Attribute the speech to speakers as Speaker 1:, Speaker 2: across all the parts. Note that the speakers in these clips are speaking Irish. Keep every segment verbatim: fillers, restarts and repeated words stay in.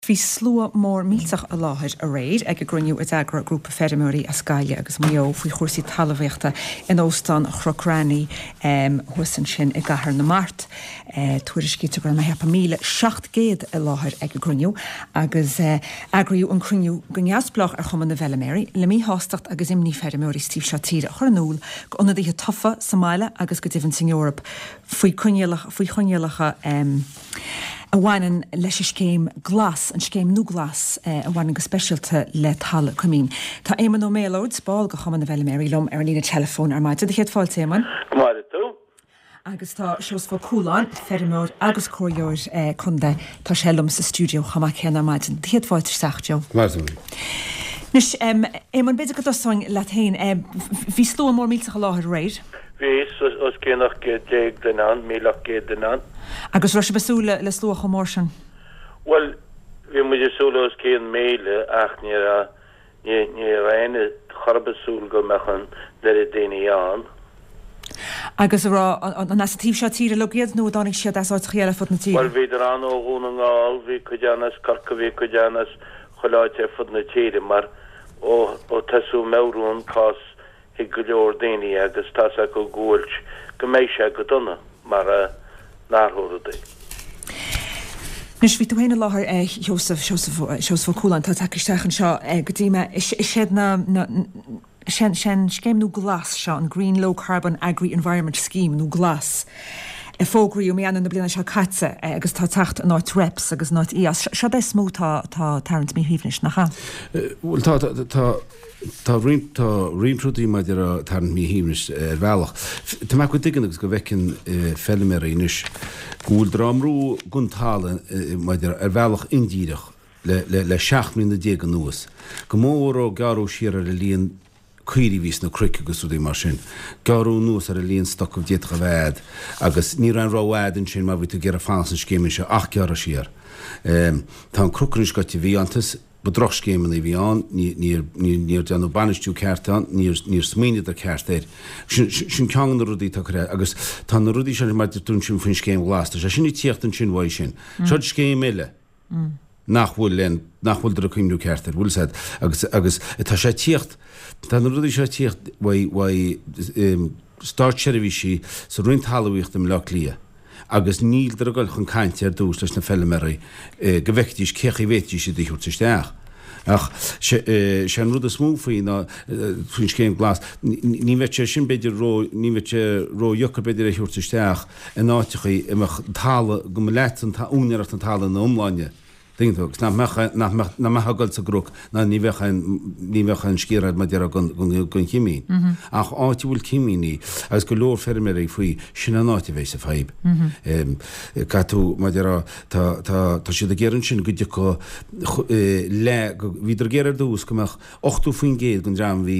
Speaker 1: Bhí slua mór millteach i láthair aréir ag an gcruinniú a d'eagraigh grúpa feirmeoirí as Gaillimh agus Maigh Eo faoi chúrsaí talmhaíochta in Óstán Chnoc Raithní thuas ansin i gCathair na Mart. Tuairiscítear go raibh mé ag ceapadh míle seacht gcéad i láthair ag an gcruinniú agus eagraíodh an cruinniú go neamhspleách ar Chumann na bhFeilméaraí le míshástacht agus imní feirmeoirí sa taobh seo tíre a chur in iúl go ionadaithe tofa sa mbaile agus go deimhin san Eoraip faoi choinníollacha a bhaineann leis an scéim Glas, an scéim nua Glas a bhaineann go speisialta le talamh coimín. Tá Éamonn Ó Méalóid, ball de Chumann na bhFeilméaraí liom ar an líne teileafóin ar maidin. Do chéad fáilte, Éamonn.
Speaker 2: Go maire tú.
Speaker 1: Agus tá Seosamh Ó Cualáin, feirmeoir agus comhairleoir contae, tá sé liom sa stiúideo chomh maith céanna ar maidin. Do chéad fáilte isteach, Joe.
Speaker 3: Go maire tú.
Speaker 1: Anois, Éamonn, b'fhéidir go dtosóinn leat féin. Bhí slua mór millteach i láthair aréir.
Speaker 2: Bhí, os cionn ocht gcéad déag duine ann, míle ocht gcéad duine ann.
Speaker 1: Agus raibh sibh ag súil le slua chomh mór sin?
Speaker 2: Bhuel, bhí muid ag súil le os cionn míle ach ní raibh, ní, ní raibh éinne chor ar bith ag súil go mbeadh an oiread daoine ann.
Speaker 1: Agus a raibh, an as an taobh seo tíre uilig iad nó a dtáinig siad as áiteacha eile ar fud na tíre?
Speaker 2: Bhuel, bhíodar ann ó Dhún na nGall, bhí cuid ann as Corcaigh, bhí cuid ann as chuile áit ar fud na tíre mar ó, ó tosaíodh meabhrú an cás thuig go leor daoine agus tá's acu go bhfuil, go mbeidh sé go dona mara n-athrófar rudaí.
Speaker 1: Anois, bhí tú féin i láthair, a Sheosaimh, Seosamh, Seosamh Ó Cualáin, atá tagtha isteach anseo go dtí mé. Is iad na, na, is é an scéim nua Glas seo, an Green Low Carbon Agri Environment Scheme nó Glas, a fógraíodh mí Eanáir na bliana seo caite agus atá ag teacht in áit REPS agus in áit IÁS. Seo é is mó atá ag tarraingt míshuaimhnis, nach ea?
Speaker 3: Bhuel, tá, tá, tá roinnt, tá roinnt rudaí maidir le tarraingt míshuaimhnis ar bhealach. Tá mé go dtuigeann agus go bhfeiceann feilméaraí anois go bhfuil á mbrú gon talamh maidir ar bhealach indíreach le, le, le seacht mbliana déag anuas, go mór ó gearradh siar ar an líon caoirigh a bhí sna cnoic agus rudaí mar sin. Gearradh anuas ar an líon stoc a d'fhéadfadh a bheith a'd agus ní raibh aon rogha a'd ansin má bhí tú ag iarraidh fanacht san scéim seo ach gearradh siar. Tá an cnoc anois goite i bhfiántas, ba drochscéimeanna a bhí ann, níor níor déanadh bainistiú ceart ann, níor níor smaoineadar ceart air. Sin sin ceann de na rudaí atá curtha agus tá na rudaí sin mar a deir tú ansin faoin scéim ghlas, tá sé sin ag tíocht ansin uaidh sin. Seo scéim eile. nach bhfuil aon, nach bhfuil ag cuimhniú ceart air, bhfuil 'fhios a'd, agus, agus tá sé ag tíocht, tá na rudaí seo ag tíocht uaidh, uaidh státseirbhísí sa Roinn Talmhaíochta i mBleá Cliath agus níldar ag dul chun cainte ar dtús leis na feilméaraí go bhfeicfidís cé chaoi a bhféadfaidís iad a thabhairt isteach. Ach sé an rud is mó faoi ná, faoin scéim glas, ní bheadh sé sin b'fhéidir ró, ní bheadh sé ró-dheacair b'fhéidir é a thabhairt isteach in áiteachaí a mbeadh talamh, go mba leat an úinéireacht an talaimh ina iomláine, tuigeann tú, agus nach mbeadh, nach mbeadh, nach mbeadh ag dul sa gcnoc ná ní bheadh aon, ní bheadh aon sciar agat mar a déarfá gon, gon, gon chimín. Ach áit a bhfuil cimíní agus go leor feirmeoirí faoi, sin an áit a bheidh sa fadhb. Caithfidh tú, mar a déarfá, tá, tá, tá siad ag iarraidh ansin go dtiocfadh le, go, bhíodar ag iarraidh ar dtús go mbeadh ochtó faoin gcéad den dream a bhí,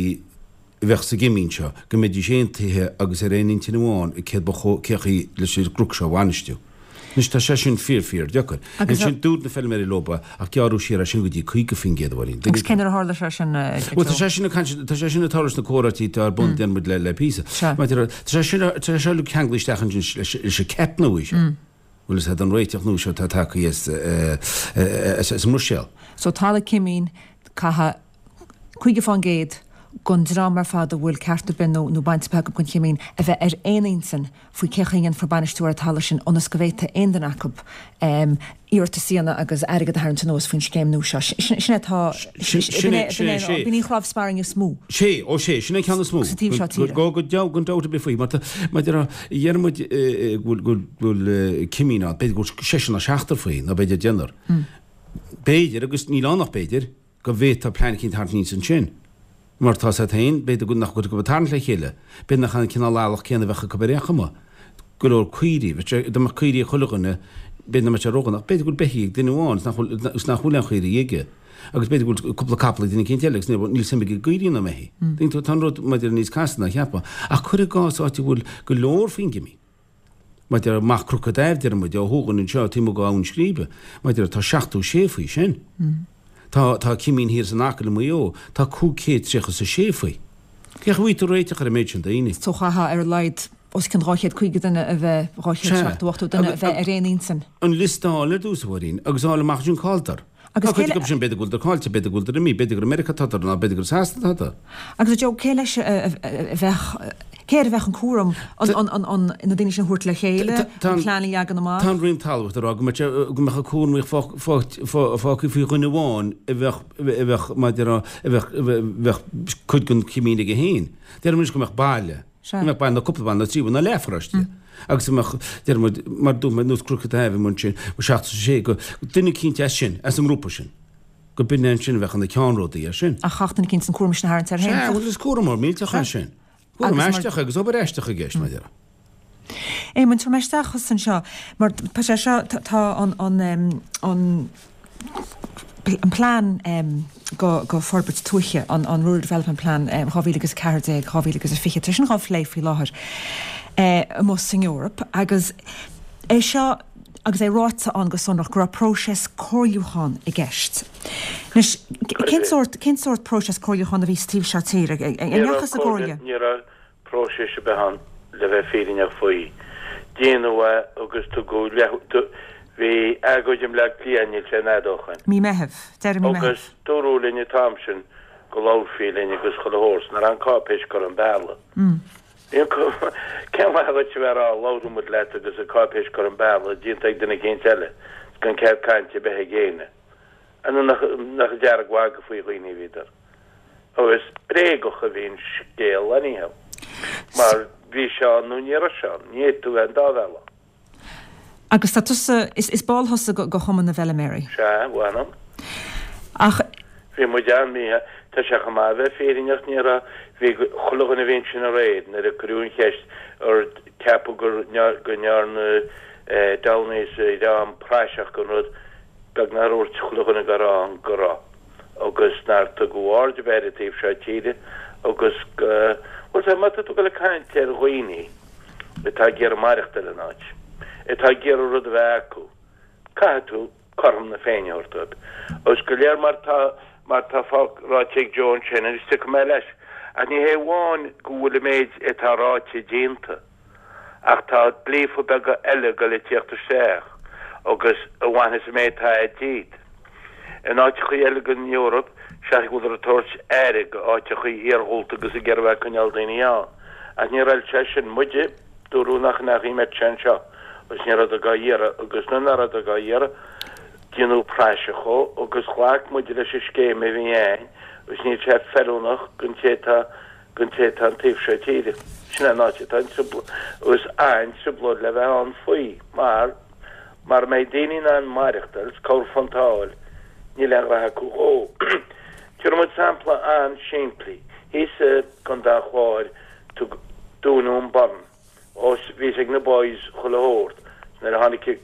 Speaker 3: a bheadh sa gcimín seo, go mbeidís aontaithe agus ar aon intinn amháin i céard ba chóir, cé chaoi leis an gcnoc seo a bhainistiú. Anois tá sé sin fíor fíor deacair. Ansin dúirt na feilméaraí leo ach gearradh siar é sin go dtí caoga faoin gcéad a Mháirín.
Speaker 1: Agus cén uair a tharla sé sin, a Joe?
Speaker 3: Bhuel tá sé sin ag caint, tá sé sin ag tarlú sna comhráití atá ar bun déanann muid le le píosa. Maidir le, tá sé sin, tá sé seo uilig ceanglaithe isteach ansin leis an CAP nua seo. Bhfuil fhios a'd an réiteach nua seo atá tagtha as as an mBruiséil.
Speaker 1: So talamh cimín, caithfidh caoga fán gcéad den dream ar fad a bhfuil ceart ar bith nó nó baint ar bith acu den chimín a bheith ar aon intinn faoi cé chaoi a ndéanfar bainistiú ar an talamh sin ionas go bhféadfaidh aon duine acu iarratas a dhéanamh agus airgead a tharraingt anuas faoin scéim nua seo. Sin é atá,
Speaker 3: Sin é, sin é, sé.
Speaker 1: B'in í an chnámh spairne is mó.
Speaker 3: Sé, ó sé, sin é an ceann is mó.
Speaker 1: Sa taobh seo tíre.
Speaker 3: Go, go, gan dabht ar bith faoi, mar tá, mar a déarfá, deireann muid go bhfuil, go bhfuil cimín ann, b'fhéidir go bhfuil seisear nó seachtar faoi, nó b'fhéidir deichniúr. B'fhéidir, agus níl ann ach b'fhéidir, go bhféadfá plean eicínt a tharraingt aníos ansin. Mar tá 'fhios a'd féin, b'fhéidir go nach bhfuil acu ag tarraingt le chéile, b'fhéidir nach an cineál eallach céanna a bheadh acu ar aon chuma. Go leor caoirigh, bheadh sé, dá mbeadh caoirigh ag chuile dhuine, b'fhéidir nach mbeadh sé ródhona, ach b'fhéidir go bhfuil beithígh ag duine amháin is nach bhfuil, is nach bhfuil aon chaoirigh aige. Agus b'fhéidir go bhfuil cúpla capall ag duine eicínt eile agus níl, níl suim aige i gcaoirigh ná i mbeithígh. Tuigeann tú, tá an rud maidir níos casta ná a cheapfá. Ach cuir i gcás áit a bhfuil go leor faoin gcimín. Maidir amach Cnoc an Daimh, deir muid, ó thuaidh anseo, taobh amuigh d'Abhainn Scríbe. Maidir tá seachtó sé faoi sin. Tá, tá cimín thiar san Acaill i Maigh Eo, tá cúig chéad tríocha is a sé faoi. Cén chaoi a bhfaighidh tú réiteach ar an méid sin daoine?
Speaker 1: So chaithfeá ar a laghad os cionn dhá chéad caoga duine a bheith, dhá chéad seachtó, ochtó duine a bheith ar aon intinn.
Speaker 3: An liosta a fháil ar dtús, a Mháirín, agus a fháil amach ansin cá bhfuileadar.
Speaker 1: Agus
Speaker 3: Tá cuid acu sin b'fhéidir go bhfuil caillte, b'fhéidir go bhfuil imithe, b'fhéidir gur i Meiriceá atá ná b'fhéidir gur i Sasana atá.
Speaker 1: Agus a Joe, cé leis a bheadh, cé air a bheadh an cúram an na daoine sin a thabhairt le chéile, an plean a leagan amach?
Speaker 3: Tá an Roinn Talmhaíochta ag rá go mbeadh an cúram fágtha faoi dhuine amháin a bheadh, a bheadh, mar a déarfá, a bheadh, a bheadh cuid den chimín aige féin. Deirim anois go mbeadh baile. Go mbeadh baile nó cúpla baile nó trí nó leathpharóiste. Agus go mbeadh, deir muid, mar dúirt mé, nós Cnoc an Taibhdhearc ansin, go seachtó sé, go duine eicínt as sin, as an ngrúpa sin, go b'in é ansin a bheadh ina cheannródaí air sin.
Speaker 1: Ach chaithfeadh duine eicínt an cúram sin a tharraingt air féin.
Speaker 3: Sea, bhuel is cúram mór millteach é sin. Cúram aisteach é agus obair aisteach i gceist, mar a déarfá.
Speaker 1: Éamonn, tabhair mé isteach thusa anseo, mar tá sé seo, tá an, an, an, an plean go go forbairt tuaithe, an an Rural Development Plan dhá mhíle agus a ceathair déag, dhá mhíle agus a fiche, tá sin dhá phlé faoi láthair amuigh san Eoraip agus é seo agus é ráite ann go sonrach go raibh próiseas comhairliúcháin i gceist. Anois, cén sórt, cén sórt próiseas comhairliúcháin a bhí sa taobh seo tíre? An ndeachthas i gcomhairle?
Speaker 2: Ní raibh próiseas ar bith ann le bheith fírinneach faoi. Déanadh é agus tugadh leath, bhí agóid i mBleá Cliath, níl sé an fhad ó shoin.
Speaker 1: Mí Meithimh, deireadh mí Meithimh.
Speaker 2: Agus dúradh linn an t-am sin go labharfaí linn agus chuile shórt, nach raibh an cáipéis curtha chun bealaigh. Bhí an, cén mhaith dhuit a bheith ag rá labharfaidh muid leat agus an cáipéis curtha chun bealaigh, déanta ag duine eicínt eile, is gan cead cainte ar bith ag éinne. Nó nach, nach ag dearg-mhagadh faoi dhaoine a bhíodar. Agus bréagach a bhí an scéal anyhow. Mar bhí sé ann nó ní raibh sé ann, ní fhéadfadh tú bheith an dá bhealach.
Speaker 1: Agus tá tusa, is, is ball thusa go, go Chumann na bhFeiliméaraí.
Speaker 2: Sea, mh'anam.
Speaker 1: Ach.
Speaker 2: Bhí muid ann, bhí, tá sé chomh maith a bheith fírinneach, ní raibh, bhí chuile dhuine a bhí ansin aréir nuair a cuireadh an cheist ar ceapadh gur, go ndearna Downey is a dhream praiseach den rud, beag nár dhúirt chuile dhuine go raibh ann go raibh agus nár tugadh aird ar bith ar an taobh seo tíre agus go, bhuel sea, má tá tú ag dul ag caint ar dhaoine atá ag iarraidh maireachtáil in áit, atá ag iarraidh rud a bheith acu, caithfidh tú cothrom na Féinne a thabhairt dóibh. Agus go léir mar tá, mar tá fág, ráite ag Joe ansin, agus tiocfaidh mé leis, ach ní hé amháin go bhfuil an méid atá ráite déanta, Ach tá dlíthe beaga eile ag dul ag tíocht isteach agus a bhainfeas an méid atá a'd díot. In áiteachaí eile den Eoraip, seachas go bhfuileadar ag tabhairt aire go áiteachaí iarghúlta agus ag iarraidh bheith ag coinneáil daoine ann. Ach níor fheil sé sin muide, dúradh nach ndeachaigh sé anseo agus ní rabhadar dhá iarraidh agus nuair nach rabhadar dhá iarraidh, déanadh praiseach dhó agus ghlac muide leis an scéim a bhí a'ainn agus níl sé feiliúnach don té atá don té atá an taobh seo tíre. Sin é an áit atá an trioblóid, agus an-trioblóid le bheith ann faoi, mar, mara mbeidh daoine in ann maireachtáil is corrphiontáil, níl aon ghraithe acu dhó. Tabharfaidh muid sampla an-simplí. Thíos i gContae an Chláir, dúnadh an Burren, ós bhí fhios ag na boys chuile shórt, nuair a tháinig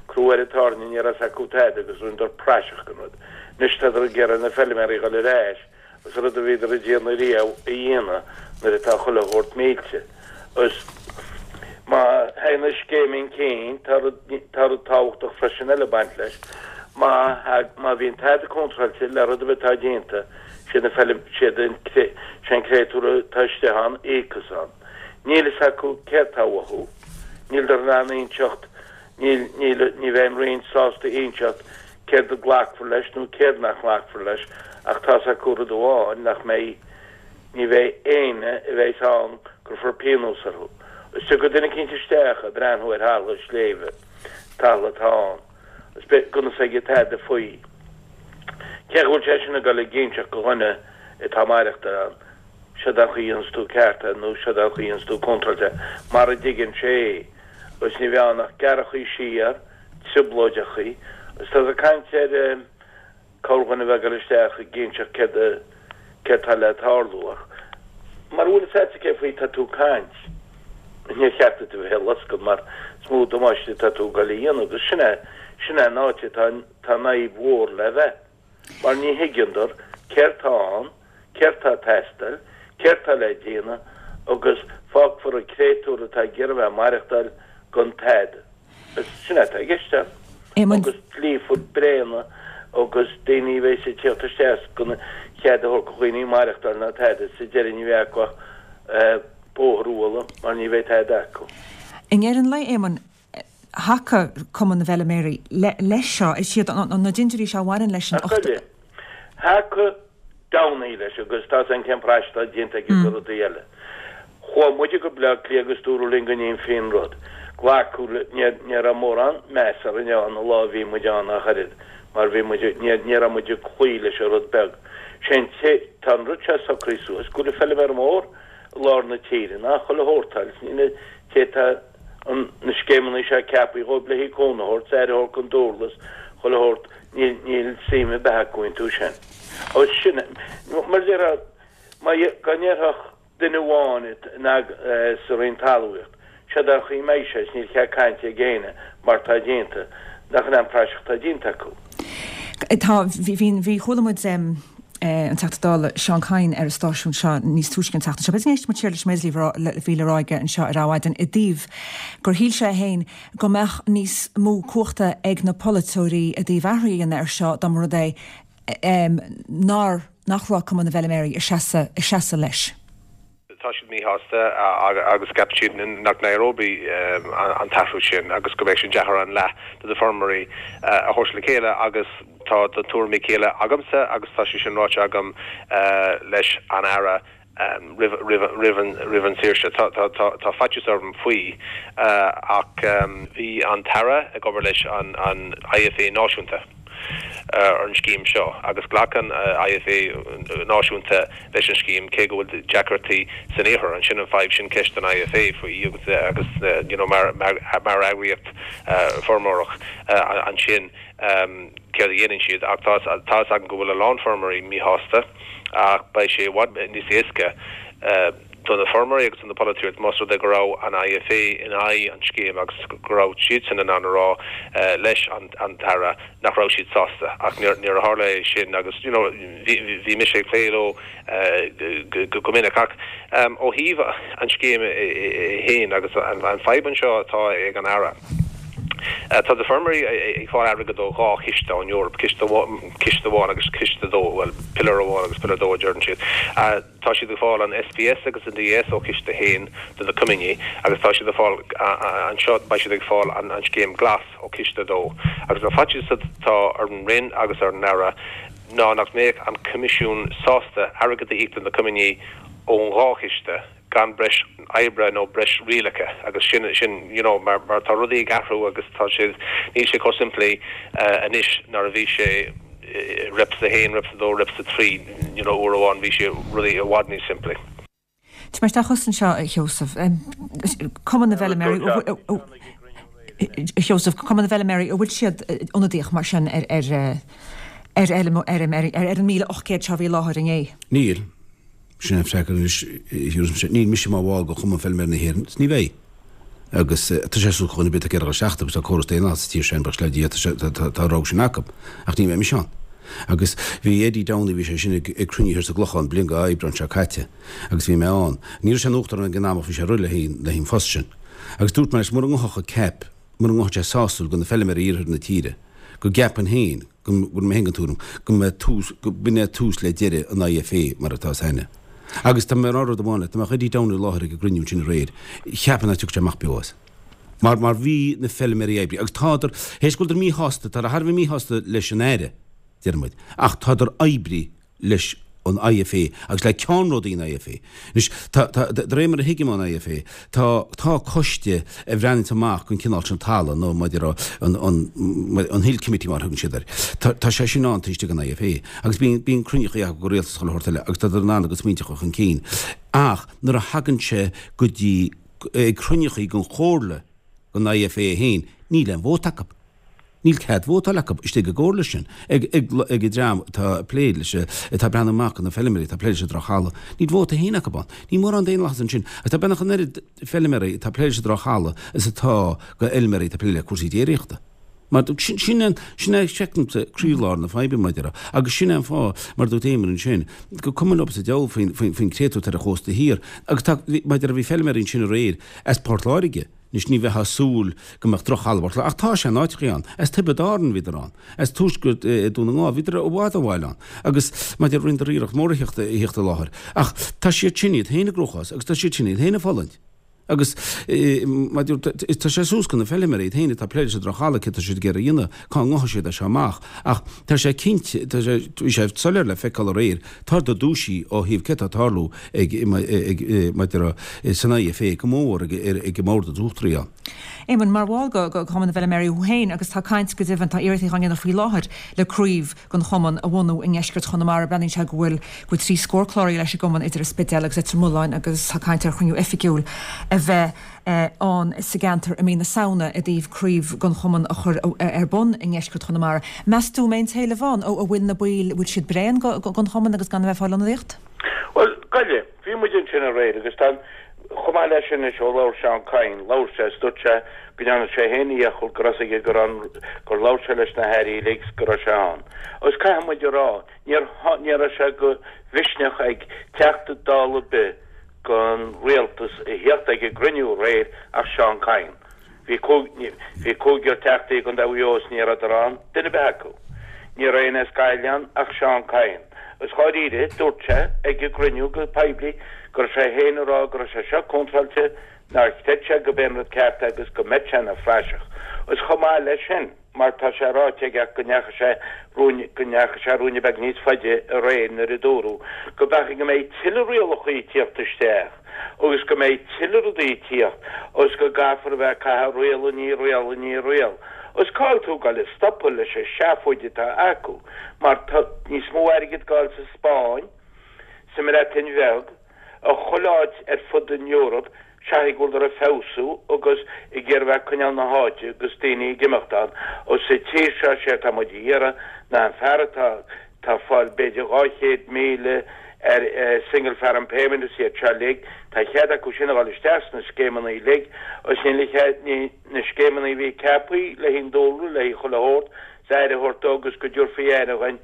Speaker 2: crú ar an tairne ní raibh fhios acu tada agus rinneadar praiseach den rud. Anois tádar ag iarraidh na feilméaraí a dhul ar ais, Is rud a bhíodar ag déanamh riamh a dhéanamh nuair atá chuile shórt millte. Is má thagann an scéim chun cinn, tá rud, tá rud tábhachtach freisin eile ag baint leis. Má thag, má bhíonn tada contráilte le rud ar bith atá déanta, siad na feilm, siad an, sé an créatúr atá istigh ann a íocfas ann. Níl fhios acu céard tá uathu. Níldar in ann inseacht, níl, níl, ní bheidh an Roinn sásta inseacht céard a glacfar leis nó céard nach nglacfar leis ach tá's acu rud amháin nach mbeidh, ní bheidh éinne a bheas ann cuirfear pionós orthu. Is tiocfaidh duine eicínt isteach ag breathnú ar thalamh sléibhe, talamh atá ann, is beidh gan fhios aige tada faoi. Cén chaoi a bhfuil sé sin ag dul ag inseacht go dhuine atá ag maireachtáil ann, seod an chaoi a dhéanfas tú ceart é nó seod an chaoi a dhéanfas tú contráilte é, mar a dtuigeann sé é. Agus ní bheidh ann ach gearrachaí siar, trioblóideachaí, agus tá ag caint ar corrdhuine a bheith ag dul isteach ag inseacht céard a, céard tá le tarlú ach mara bhfuil fhios a'dsa cé faoi tá tú ag caint, níor cheart duit a bheith ag loscadh mar is mó damáiste atá tú ag dul a dhéanamh agus sin é, sin é an áit atá, tá an fhadhb mhór le bheith. Mar ní thuigeandar céard tá ann, céard tá ag teastáil, céard tá le déanamh agus fágfar an créatúr atá ag iarraidh bheith ag maireachtáil gan tada. Is sin é atá i gceist ann. Agus dlíthe bréana agus daoine a bheas ag tíocht isteach gan chead a thabhairt do dhaoine maireachtáil ná tada, sa deireadh ní bheidh acu ach bóthar a bhualadh mar ní bheidh tada acu.
Speaker 1: I ndeireadh an lae, Éamonn, thacaigh Cumann na bhFeiliméaraí leis seo? Is iad na dintiúirí seo a bhaineann leis an ocht.
Speaker 2: Thacaigh Downey leis agus tá an cén praiseach atá déanta aige do rudaí eile. Chuaigh muide go Bleá Cliath agus dúradh linn go ndéanfaí an rud. Glacadh le, ní raibh mórán meas orainn ann an lá a bhí muid ann ach oiread mar bhí muid, ní raibh muid ag cloí leis an rud beag. Sé an, tá an rud seo socraithe suas go bhfuil an feiliméar mór i lár na tíre ná chuile shórt agus ní na té tá an na scéimeanna seo ceaptha dhóibh le haghaidh cúnamh a thabhairt, aire a thabhairt don dúrlas, chuile shórt, níl níl suim ar bith acu iontu sin. Agus sin, mar a déarfá, má go ndéarfadh duine amháin sa Roinn Talmhaíocht, Seod é an chaoi a mbeidh sé is níl cead cainte ag éinne mar tá déanta, nach in é an praiseach atá déanta acu.
Speaker 1: Tá, bhí, bhí, chuala muid an Teachta Dála Seán Kyne ar an stáisiún seo níos túisce an tseachtain seo. B'fhéidir go n-éistfidh muid siar leis an méid a bhí le rá aige anseo ar Adhmhaidin i dtaobh gur shíl sé féin go mbeadh níos mó cumhachta ag na polaiteoirí i dtaobh athrú a dhéanamh air seo dá mba rud é nár, nach raibh Cumann na bhFeiliméaraí ag seasamh, ag seasamh leis.
Speaker 4: Tá siad míshásta agus ceapann siad nach n-éireoidh an t-athrú sin agus go mbeidh sé deacair an leath de na feirmeoirí a thabhairt le chéile agus tá na tuairimí céanna agamsa agus tá sé sin ráite agam leis an Aire roimh an saoirse. Tá faitíos orm faoi ach bhí an tAire ag obair leis an IFA náisiúnta. ar an scéim seo agus ghlac an IFA náisiúnta leis an scéim cé go bhfuil deacrachtaí san iarthar. Ansin an fadhb sin ceist don IFA faoi agus agus you know mar mar mar eagraíocht feirmeoireach ansin céard a dhéanann siad ach tá tá fhios agam go bhfuil a lán feirmeoirí míshásta ach beidh sé i bhfad níos éasca do na feirmeoirí agus do na polaiteoirí más rud é go raibh an IFA in aghaidh an scéim agus go raibh siadsan in ann a rá leis an tAire nach raibh siad sásta ach níor níor tharla é sin agus you know bhí bhí mise ag plé leo go minic ach ó thaobh an scéim féin agus an fadhb anseo atá ag an Aire. Tá na feirmeoirí ag fáil airgead ó dhá chiste ón Eoraip, ciste ciste amháin agus ciste dó, bhuel pillar amháin agus pillar dó a deireann siad. Tá siad ag fáil an SPS agus an DS ó chiste a haon do na coimíní agus tá siad ag fáil anseo beidh siad ag fáil an an scéim glas ó chiste a dó. Agus an faitíos atá ar an Roinn agus ar an Aire ná nach mbeadh an Coimisiún sásta airgead a íoc do na coimíní ón dhá chiste gan breis oibre nó breis rialacha agus sin sin you know mar mar tá rudaí ag athrú agus tá sé níl sé chomh simplí anois ná a bhí sé Reps a haon, Reps a dó, Reps a trí, you know uair amháin bhí sé rudaí i bhfad níos simplí.
Speaker 1: Tá mé isteach thusa anseo, a Sheosaimh. Cumann na bhFeiliméaraí, a Sheosaimh, Cumann na bhFeiliméaraí, an bhfuil siad ionadaíoch mar sin ar ar ar fheilméaraí, ar an míle ocht gcéad seo a bhí i láthair inné?
Speaker 3: Níl. Sin an freagra anois, níl mise mar bhall de Chumann Feilméaraí na hÉireann, is ní bheidh. Agus tá sé suas chun a bith ag iarraidh isteach agus tá córas daonlathas sa tír sin, buíochas le Dia, tá an rogha sin acu. Ach ní bheidh mise ann. Agus bhí Eddie Downey, bhí sé sin ag cruinniú thiar sa gClochán bliain go Aibreán seo caite agus bhí mé ann. Ní raibh sé ina uachtarán ag an am ach bhí sé réidh le haghaidh an phost sin. Agus dúirt mé leis, mura ngabhfadh an CAP, mura ngabhfadh sé sásúil do na feilméaraí iarthar na tíre, go gceapainn féin, go bhfuil mé féin den tuairim go mbeidh tús, go b'in é tús le deireadh an IFA mar atá is aithne. Agus tá mé ag rá rud amháin leat, dá mbeadh Eddie Downey i láthair ag an gcruinniú sin aréir, cheapfainn nach dtiocfadh sé amach beo as. Mar, mar bhí na feilméaraí oibrithe, agus tádar, théis go bhfuileadar míshásta, tádar thar a bheith míshásta leis an Aire, deir muid, ach tádar oibrithe leis an IFA agus le ceannródaí an IFA. Anois, tá, tá, de réir mar a thuigim ón IFA, tá, tá coiste a bhreathnaíonns amach don chineál sin talamh, nó maidir an, an, an Hill Committee mar a thugann siad air. Tá, tá sé sin ann taobh istigh den IFA agus bíonn, bíonn cruinníochaí acu go rialta is chuile shórt eile agus tádar in ann a gcuid smaointe a chur chun cinn. Ach nuair a thagann sé go dtí ag cruinníochaí den chomhairle den IFA féin, níl aon vóta acu. Níl cead vótáil acu istigh i gcomhairle sin, ag ag an dream atá ag plé leis, atá ag breathnú amach do na feilméaraí, atá ag plé leis an drochthalamh. Níl vóta féin acu ann. Níl mórán daonlathas ansin. Agus tá beagnach an oiread feilméaraí atá ag plé leis an drochthalamh is atá go fheilméaraí atá ag plé le cúrsaí déiríochta. Mar sin sin an sin é feicimse croílár na faidhbe mar a déarfá. Agus sin é an fáth, mar a dúirt Éamon ansin, gur cuma leo sa diabhal faoin faoin faoin créatúr atá ar an chósta thiar. Agus tá mar a déarfá bhí feilméaraí ansin aréir as Port Láirge. Anois ní bheifeá ag súil go mbeadh drochthalamh i bPort Láirge, ach tá sé in áiteachaí ann. As Tiobraid Árann bhíodar ann. As tuaisceart Dún na nGall bhíodar i bhfad ó bhaile ann. Agus maidir rinneadar iarracht mhór a theacht a theacht i láthair. Ach tá siad sin iad féin i gcruachás agus tá siad sin iad féin ag fulaingt. Agus maidir, tá sé suas go na feilméaraí iad féin atá ag plé leis an drochthalamh, céard tá siad ag iarraidh a dhéanamh, cá ngabhfaidh siad as seo amach. Ach tá sé cinnte, tá sé, bhí sé soiléir le feiceáil aréir, tá do dúisí ó thaobh céard atá ag tarlú ag, ag, maidir san IFA go mór ag, ag an mbord is uachtaraí ann.
Speaker 1: Éamonn, mar bhall go, go Cumann na bhFeilméaraí thú féin agus tá caint go deimhin, tá iarrachtaí á ndéanamh faoi láthair le craobh den chumann a bhunú i ndeisceart Chonamara. Breathnaíonn sé go bhfuil, go bhfuil trí scór cláraithe leis an gcumann idir an Spidéal agus Leitir Mealláin agus tá caint ar chruinniú oifigiúil a bheith ann sa gceantar i mí na Samhna i dtaobh craobh den chumann a chur ar bun i ndeisceart Chonamara. Meas tú an mbeidh an t-éileamh ann? An bhfuil na baill, bhfuil siad bréan den chumann agus gan a bheith ag fáil ionadaíocht?
Speaker 2: Bhuel, goile, bhí muid ansin aréir agus tá an, chomh maith leis sin anois ó labhair Seán Kyne, labhair sé is dúirt sé go ndearna sé féin a dhícheall go raibh a fhios aige go raibh an, gur labhair sé leis na hairí uilig is go raibh sé ann. Agus caithfidh muid a rá, níor, ní raibh sé de mhisneach ag Teachta Dála ar bith den rialtas a theacht ag an gcruinniú aréir ach Seán Kyne. Bhí bhí cúigear teachtaí i gContae Mhaigh Eo is ní rabhadar ann, duine ar bith acu. Ní raibh éinne as Gaillimh ann ach Seán Kyne. Agus dháiríre, dúirt sé ag an gcruinniú go poiblí go raibh sé féin ag rá go raibh sé seo contráilte, nár chreid sé go b'é an rud ceart é agus go mbeadh sé ina phraiseach. Agus chomh maith leis sin. mar tá sé ráite aige go ndeachaigh sé ruainne go ndeachaigh sé ruainne beag níos faide aréir nuair a dúradh go b'fhéidir go mbeidh tuilleadh rialacha ag tíocht isteach agus go mbeidh tuilleadh rudaí ag tíocht agus go gcaithfear a bheith ag caitheamh riail i ndiaidh riail i ndiaidh riail agus cá'il tú ag goil a stopadh leis an seafóid atá acu mar tá níos mó airgid ag goil sa Spáinn sa mBreatain Bheag i chuile áit ar fud an Eoraip seachas go bhfuileadar ag feabhsú agus ag iarraidh bheith ag coinneáil na háite agus daoine ag imeacht ann agus sa tír seo sé atá muid a iarraidh ná an fear atá tá fáil b'fhéidir dhá chéad míle ar single farm payment is iad seo uilig tá cead acu sin a dhul isteach sna scéimeanna uilig agus níl a chead ní na scéimeanna a bhí ceaptha le haghaidh an dúlra le haghaidh chuile shórt 's aire a thabhairt dó agus go dtabharfaí aire dhuinn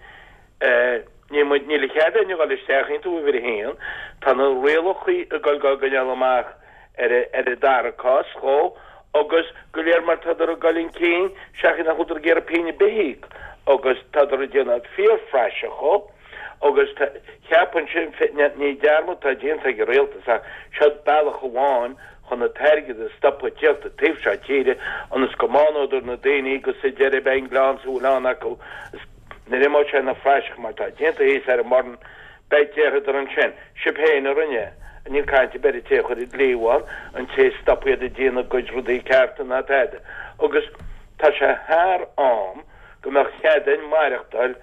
Speaker 2: Níl muid, níl a chead éinne dhul isteach iontu uimhir a haon. Tá na rialachaí ag dul dhá gcoinneáil amach ar ar an dara cás dhó agus go léir mar tádar ag dul chun cinn seachas nach bhfuileadar ag iarraidh pingin ar bith a íoc agus tádar ag déanamh fíorphraiseach dhó agus cheapfainnse ní dearmad atá déanta ag an rialtas ach seod bealach amháin chun an t-airgead a stopadh ag tíocht an taobh seo tíre ionas go mbánódar na daoine agus sa deireadh beidh an gleann sa bhfuil ann acu Nuair a imeoidh sé ina phraiseach mar atá déanta thíos ar an mBoireann, beidh déarfadar ansin, sibh féin a rinne é. Níl caint ar bith ar an té a chuir an dlí ann, an té a stop iad ag déanamh a gcuid rudaí cearta ná tada. Agus tá sé thar am go mbeadh cead againn maireachtáil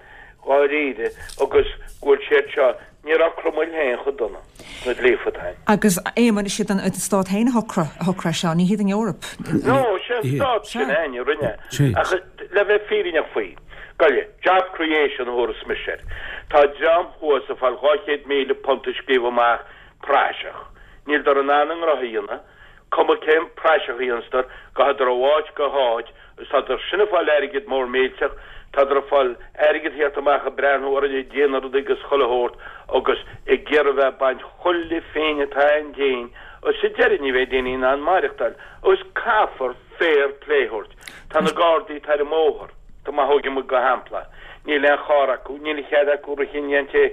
Speaker 2: dháiríre agus go bhfuil siad seo Ní raibh Cromail féin chomh dona sna dlífeatáin.
Speaker 1: Agus Éamonn, is iad an Stát féin a shocraigh a shocraigh seo, ní hiad an Eoraip.
Speaker 2: No, sé an Stát sin féin a rinne. Ach le bheith fírinneach faoi, goile, job creation a thabharfas mise air. Tá dream thuas ag fáil dhá chéad míle punt a scríobh amach praiseach. Níldar in ann a ngnóthaí a dhéanamh. Cuma cén praiseach a dhéanstar, gabhadar ó áit go háit agus tádar sin ag fáil airgead mór millteach, tádar ag fáil airgead thíocht amach ag breathnú orainn ag déanamh rudaí agus chuile shórt agus ag iarraidh bheith ag baint chuile phingin atá ann dínn agus sa deireadh ní bheidh daoine in ann maireachtáil agus caithfear fair play a thabhairt. Tá na Gardaí atá ar an mbóthar. Tá má thógann muid go shampla, níl aon charr acu, níl a chead acu rith i ndiaidh an té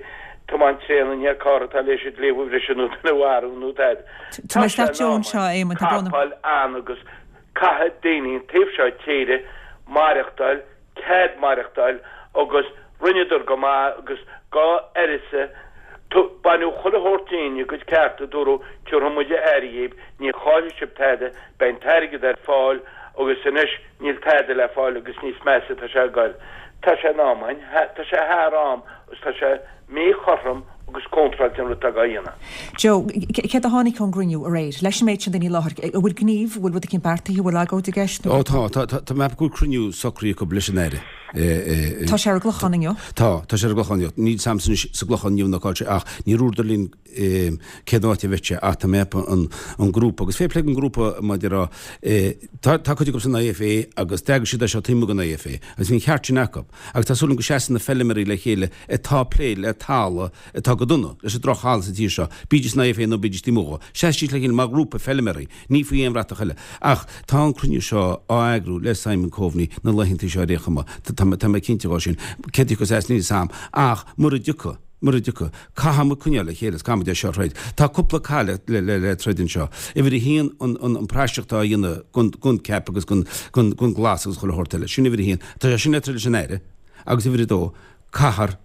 Speaker 2: tiomáint tréan i ndiaidh carr atá léis an dlí a bhriseadh nó duine a mharú nó tada.
Speaker 1: Tá
Speaker 2: sé in am capaill ann agus caithfidh daoine an taobh seo tíre maireachtáil, cead maireachtáil agus rinneadar go maith agus dhá uireasa baineadh chuile shórt dínn, a gcuid cearta, dúradh tiúrfaidh muid aire dhíbh, ní chaillfidh sibh tada, beidh an t-airgead ar fáil agus anois Níl tada le fáil agus níos measa tá sé ag goil. Tá sé in am againn, tá sé thar am agus tá sé míchothrom agus contráilte an rud atá dhá dhéanamh.
Speaker 1: Joe, céard a tháinig ón gcruinniú aréir? Leis an méid sin daoine i láthair, an bhfuil gníomh, an bhfuil rud eicínt beartaithe, an bhfuil agóid i gceist
Speaker 3: nó? Ó tá, tá, tá, tá mé ag ceapadh go bhfuil cruinniú socraithe acu leis an Aire.
Speaker 1: Tá sé ar an gClochán inniu.
Speaker 3: Tá, tá sé ar an gClochán inniu. Níl 's a'msa anois sa gClochán inniu nó cá bhfuil sé ach níor dhúradar linn cén áit a bheidh sé ach tá mé ag ceapadh an grúpa agus fair play don ghrúpa mar a déarfá tá tá cuid acu san IFA agus d'eagraigh siad é seo taobh amuigh den IFA agus bhí an ceart sin acu agus tá súil agam go seasfaidh na feilméaraí le chéile atá ag plé le talamh atá go dona leis an droch-thalamh sa tír seo bídís san IFA nó bídís taobh amuigh dhó seasfaidís le chéile mar ghrúpa feilméaraí ní faoi aon bhratach eile ach tá an cruinniú seo á eagrú le Simon Coveney na laethanta seo ar aon chuma tá tá mé cinnte dhó sin cé a thiocfas as níl 's a'm ach mura dtiocfaidh Mura dtiocfaidh, caithfidh muid coinneáil le chéile is caithfidh muid é seo a throid. Tá cúpla cath le, le, le, le troid anseo. Uimhir a haon, an, an, an praiseach atá á dhéanamh gon, gon CAP agus gon, gon, gon Glas agus chuile shórt eile. Sin uimhir a haon. Tá sé sin le troid leis an Aire. Agus uimhir a dó, caithfear,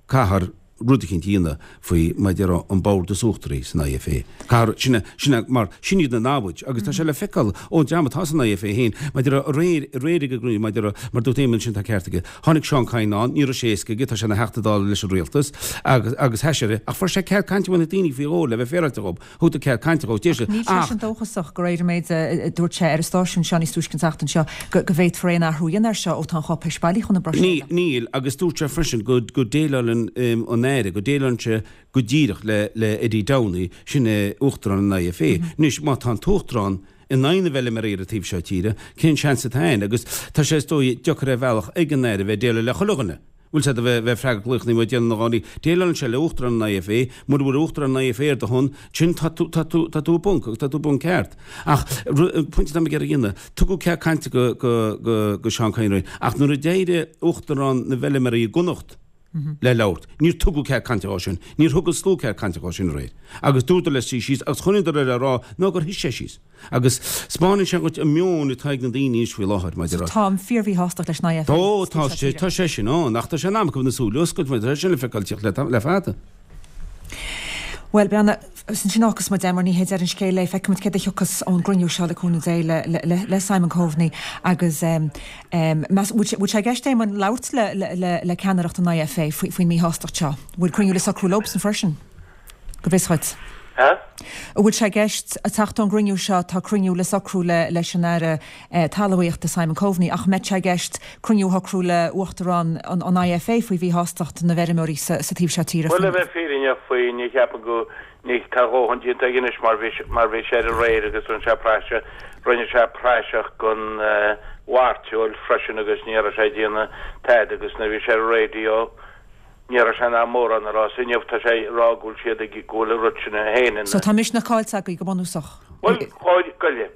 Speaker 3: caithfear rud eicínt a dhéanamh faoi mar a déarfá an bord is uachtaraí san IFA. Caithfear, sin é, sin é, mar sin iad na namhaid agus tá sé le feiceáil ón dream atá san IFA féin, mar a déarfá aréir, aréir ag an gcruinniú, mar a déarfá, mar dúirt Éamonn ansin tá ceart aige. Tháinig Seán Kyne ann, ní raibh sé éasca aige, tá sé ina Theachta Dála leis an rialtas agus, agus sheas sé air, ach fuair sé cead cainte ó na daoine faoi dhó le bheith féaráilte dhób, thugadar cead cainte dhó, d'éist sé,
Speaker 1: Níl
Speaker 3: ach.
Speaker 1: seisean dóchasach de réir an méid a dúirt sé ar an stáisiún seo níos túisce an tseachtain seo go go bhféadfar aon athrú a dhéanamh air seo ó tá an cháipéis bailí chun na
Speaker 3: Ní,
Speaker 1: Bruiséile.
Speaker 3: níl, agus dúirt sé freisin go, go déileálann an Aire, go déileálann sé go díreach le, le Eddie Downey, sin é Uachtarán an IFA. Anois, má tá an tUachtarán in aghaidh na bhfeilméaraí ar an taobh seo tíre, cén seans atá ann? Agus tá sé, is dóigh, deacair ar bhealach ag an Aire bheith ag déileáil le chuile dhuine. Bhfuil sé do bheith ag freagairt glaochanna nó ag déanamh na ngáirí. Déileálann sé le Uachtarán an IFA, mura bhfuil Uachtarán an IFA ar do shon, sin tá tú, tá tú, tá tú i bponc agus tá tú i bponc ceart. Ach pointe atá mé ag iarraidh a dhéanamh, tugadh cead cainte go, go, go, go Seán Kyne aréir, ach nuair a d'éirigh Uachtarán na bhFeilméaraí i gConnacht le labhairt, níor tugadh cead cainte dhó sin, níor thug an slua cead cainte dhó sin aréir. Agus dúradar leis suí síos agus choinníodar air á rá ná gur shuigh sé síos. Agus 'spáineann sé dhuit an meon atá ag na daoine anois faoi láthair maidir
Speaker 1: So
Speaker 3: le.
Speaker 1: táim fíor-mhíshástacht leis an IFA
Speaker 3: Ó, tá sé, tá sé sin ann, ach tá sé in am acu na súile a oscailt mar tá sé sin le feiceáil tíocht le, le fada.
Speaker 1: Bhuel, beanna, is ansin a fhágfas muid é mar ní hé deireadh an scéil é. Feicfidh muid céard a thiocfas ón gcruinniú seo le cúnamh Dé le, le, le, le Simon Coveney agus um, um, meas, bhfuil sé, bhfuil sé i gceist Éamonn labhairt le, le, le, le ceannaireacht an IFA faoi, faoin míshástacht seo? Bhfuil cruinniú le socrú leobsan freisin? Go bhfios dhuit.
Speaker 2: Ha?
Speaker 1: An bhfuil sé i gceist ag teacht ón gcruinniú seo, tá cruinniú le socrú le leis an Aire Talmhaíochta Simon Coveney, ach an mbeidh sé i gceist cruinniú a shocrú le Uachtarán an IFA faoi mhíshástacht na bhfeirmeoirí sa taobh seo tíre
Speaker 2: Bhuel,
Speaker 1: faoin.
Speaker 2: le bheith fírinneach faoi, ní cheapaim go, ní, tá a dhóthain déanta aige anois mar bhí, mar bhí sé ar aréir agus rinne sé praiseach, rinne sé praiseach den mhairteoil freisin agus ní raibh sé ag déanamh tada agus nuair a bhí sé ar an raidió, Ní raibh sé in ann mórán a rá so inniu, tá sé ag rá go bhfuil siad ag go bhfuil an rud sin féin ina.
Speaker 1: So tá misneach caillte agaibh go bunúsach.
Speaker 2: Bhuel, chóir goile.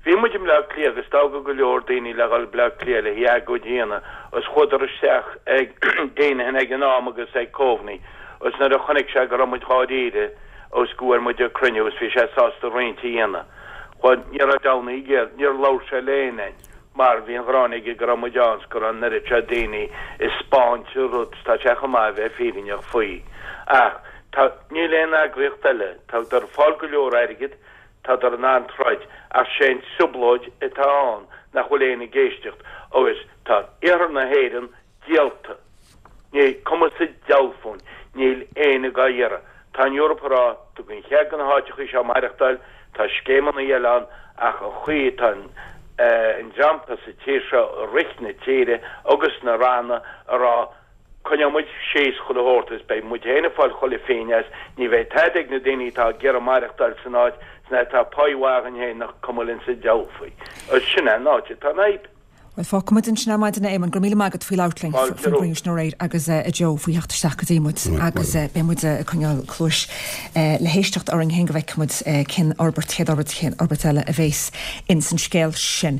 Speaker 2: Bhí muid i mBleá Cliath agus toghadh go leor daoine le dhul Bleá Cliath le hagóid a dhéanamh agus chuadar isteach ag Deenihan ag an am agus ag Coveney agus nuair a chonaic sé go raibh muid dháiríre agus go bhfuair muid an cruinniú agus bhí sé sásta roinnt a dhéanamh. Chuaigh, ní raibh Downey ag iarraidh, níor labhair sé le éinne. Mar bhí an ghráin aige go raibh muid ann 's go raibh an oiread seo daoine ag 'spáint an rud 's tá sé chomh maith a bheith fírinneach faoi. Ach tá, níl aon eagraíocht eile, tádar ag fáil go leor airgid, tádar in ann troid, ach sé an trioblóid atá ann nach bhfuil éinne ag éisteacht agus tá iarthar na hÉireann díolta. Ní cuma sa diabhal fúinn, níl éinne dhá iarraidh. Tá an Eoraip ag rá, tugaim cead do na háiteachaí seo maireachtáil, tá scéimeanna eile ann ach an chaoi atá an an dream atá sa tír seo ag rith na tíre agus na ranna ag rá coinneoidh muid síos chuile shórt is beidh muid féin ag fáil chuile phingin as, ní bheidh tada ag na daoine atá ag iarraidh maireachtáil san áit, san áit atá páí mhaith againn féin nach cuma linn sa diabhal faoi. Agus sin é an áit atá an fhadhb.
Speaker 1: Bhuel, fágfaidh muid ansin ar maidin é, Éamonn. Go raibh míle maith agat faoi labhairt linn
Speaker 2: Fáilte
Speaker 1: faoin
Speaker 2: romhat.
Speaker 1: gcruinniú sin aréir agus a Joe faoi theacht isteach go dtí muid agus beidh muid ag coinneáil cluais le héisteacht orainn féin go bhfeicfidh muid cén fhorbairt, chéad fhorbairt, cén fhorbairt eile a bhéas ins an scéal sin.